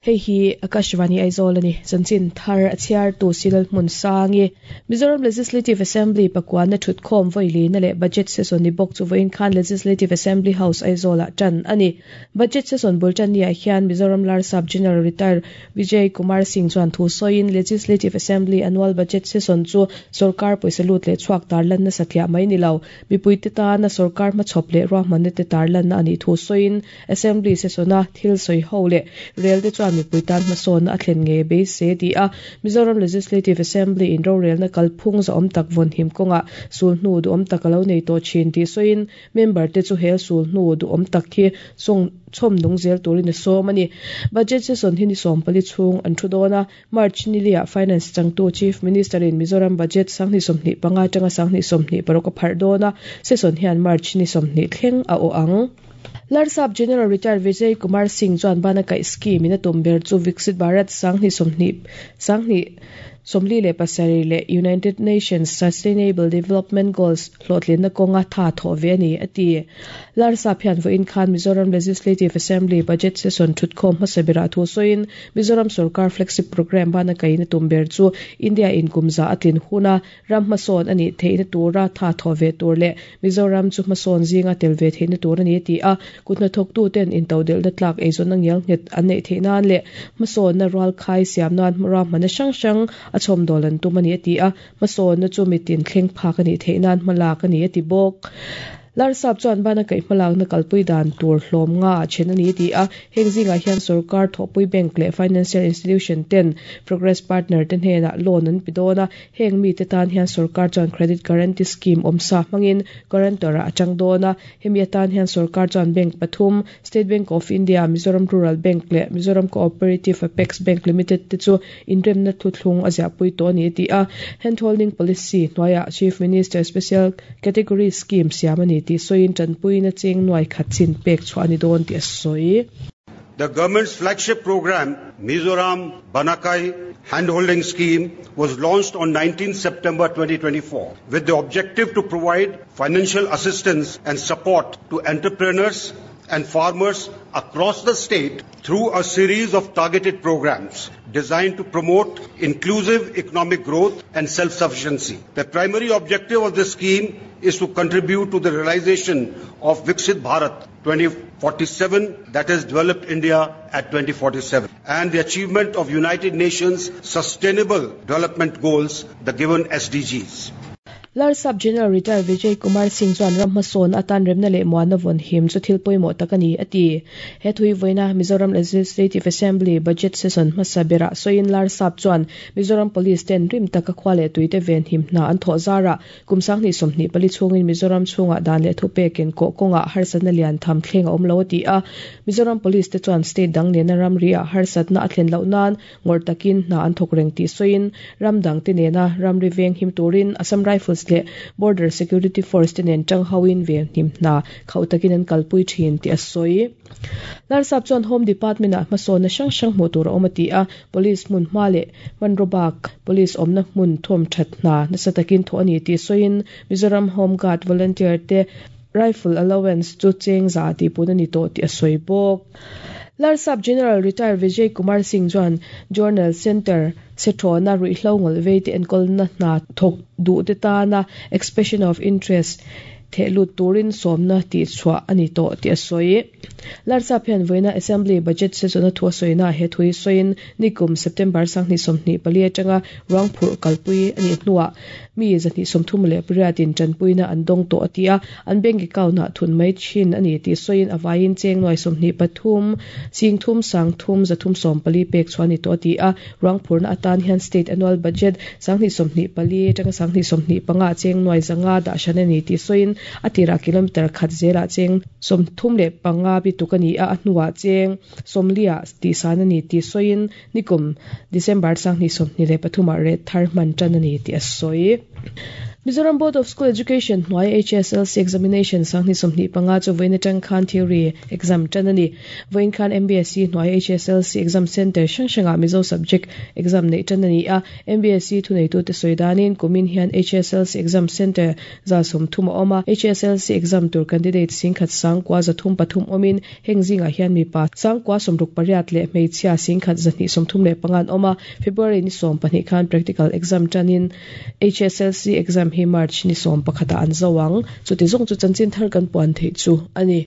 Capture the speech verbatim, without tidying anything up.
Hei hi Akashvani Aizawl ani chanchin thar a chhiar tu Silal hmun sangi Mizoram Legislative Assembly pakwana thutkhawm voili na le budget session ni bawk chu voin khan Legislative Assembly House Aizawl ah tan ani budget session bultan ni ah hian Mizoram Larsap General Retired Vijay Kumar Singh chuan thu sawiin Legislative Assembly annual budget session chu sarkar pawisa lut leh chhuak tar lan na satliah mai ni lo mipui te tana sarkar hmachhawp leh ruahmanna te tar lan na ani thu sawiin Assembly session a thil sawi ho leh rel te chuan mipui tan hmasawn a thlen nge be se ti a Mizoram Legislative Assembly in rorel na kalphung za awm tak vawn him kawnga sul hnu du awm tak alo nei tawh thin ti sawiin member te chu hel sul hnu du awm tak hi song chhawm nung zel turin a sawm ani budget session hi ni sawm pali chhung an thu dawn a March nilia finance changtu Chief Minister in Mizoram budget sanghni sawmhnih panga atanga sanghni sawmhnih paruk a pharh dawn a session hian March ni sawmhnih thleng a aw ang Larsap General Retired Vijay Kumar Singh chuan bana kai scheme in a tum ber chu Viksit Bharat sanghni sawmhnih sanghni sawmli leh pasarih leh United Nations Sustainable Development Goals hlawhtlin na kawnga tha thawh ve ani a ti Larsap hian vawiin khan Mizoram Legislative Assembly budget session thutkhawm hmasa berah thu sawiin Mizoram Sarkar flagship program bana kai na tum ber chu India in kumza atlin huna ram hmasawn ani theihna tura tha thawh ve tur leh Mizoram chu hmasawn zinga tel ve theihna tur ani ti a kutna thawk tu ten intodelh na tlak eizawn na ngial nghet an neih theih nan leh hmasawn na rual khai siam nan ruahmanna hrang hrang a chhawm dawl an tum ani a ti a hmasawn na chu mitin thleng phak ani theih nan hmalak ani a ti bawk Larsap chuan bana kai hmalak na kalpui dan tur hlawm nga a then ani ti a heng zingah hian sarkar thawhpui bank leh financial institution ten progress partner te hnenah loan an pe dawn a heng mi te tan hian sarkar chuan credit guarantee scheme awmsa hmangin guarantor ah atang dawn a hemi atan hian sarkar chuan bank pathum State Bank of India Mizoram Rural Bank leh Mizoram Cooperative Apex Bank Limited te chu inremna thuthlung a ziahpui tawh ani ti a handholding policy hnuaiah Chief Minister Special Category Scheme siam ani ti sawiin tanpui na cheng nuai khat chin pek chhuah ani dawn ti a sawi The government's flagship program, Mizoram Banakai Handholding Scheme, was launched on nineteenth September twenty twenty-four with the objective to provide financial assistance and support to entrepreneurs and farmers across the state through a series of targeted programs designed to promote inclusive economic growth and self-sufficiency. The primary objective of this scheme is to contribute to the realization of Viksit Bharat twenty forty-seven, that is Developed India at twenty forty-seven, and the achievement of United Nations Sustainable Development Goals, the given S D Gs. Larsap General Retired Vijay Kumar Singh chuan ram hmasawn atan remna leh muanna vawn him chu thil pawimawh tak ani a ti he thui vawiina Mizoram Legislative Assembly budget session hmasa berah sawiin Larsap chuan Mizoram Police ten rim taka khua leh tuite ven him hna an thawh zara kum sanghnih sawmhnih pali chhungin Mizoram chhungah dan leh thupekin kawh kawngah harsatna lian tham thleng a awm lo a ti a Mizoram Police te chuan state dang nena ram ri ah harsatna a thlen loh nan ngawr takin hna an thawk reng tih sawiin ram dang te nena ram ri veng him turin Assam Rifles le Border Security Force te nen tang hawin ve hnim hna khau takin an kalpui thin ti a sawi Larsap chuan Home Department ah hmasawn na hrang hrang hmuh tur a awm a ti a police hmun hma leh hmanrawbak police awmna hmun thawm that hna nasa takin thawh ani tih sawiin Mizoram Home Guard volunteer te rifle allowance chu cheng za ti pun ani tawh tih a sawi bawk Larsap General Retired Vijay Kumar Singh chuan Journal Center sethona ruihhlo ngawlh vei te enkawl na hna thawk duh te tana expression of interest thehlut turin sawmna tih chhuah ani tawh tih a sawi Larsap hian vawiina Assembly budget session a thu a sawina he thui sawiin nikum September sanghnih sawmhnih pali atanga ruang phurh kalpui ani hnuah mi zahnih sawmthum leh pariatin tanpuina an dawng tawh a ti a an bank account ah thun mai thin ani tih sawiin a vaiin cheng nuai sawmhnih pathum sing thum sang thum zathum sawm pali pek chhuah ani tawh a ti a ruang phurna atan hian state annual budget sanghnih sawmhnih pali atanga sanghnih sawmhnih panga cheng nuai zanga dah hran ani tih sawiin a tirah kilometer khat zelah cheng sawmthum leh panga bi tuk ani a a hnuah cheng sawmliah tih san ani tih sawiin nikum December sanghnih sawmhnih leh pathumah rate thar hman tan ani tih a sawi Mizoram Board of School Education hnuai HSLC examination sanghnih sawmhnih panga chu vawiin atang khan theory exam tan ani. Vawiin khan MBSE hnuai HSLC exam center hrang hrangah Mizo subject exam neih tan ani a. MBSE thuneitute sawi danin kumin hian HSLC exam center za sawmthum a awm a. HSLC exam tur candidate singkhat sangkua zathum pathum awmin heng zingah hian mipa sangkua sawmruk pariat leh hmeichhia singkhat zahnih sawmthum leh panga an awm a. February ni sawm pahnih khan practical exam tanin HSLC exam hi March ni sawm pakhata an zo ang. Chuti zawng chu chanchin thar kan puan theih chu ani.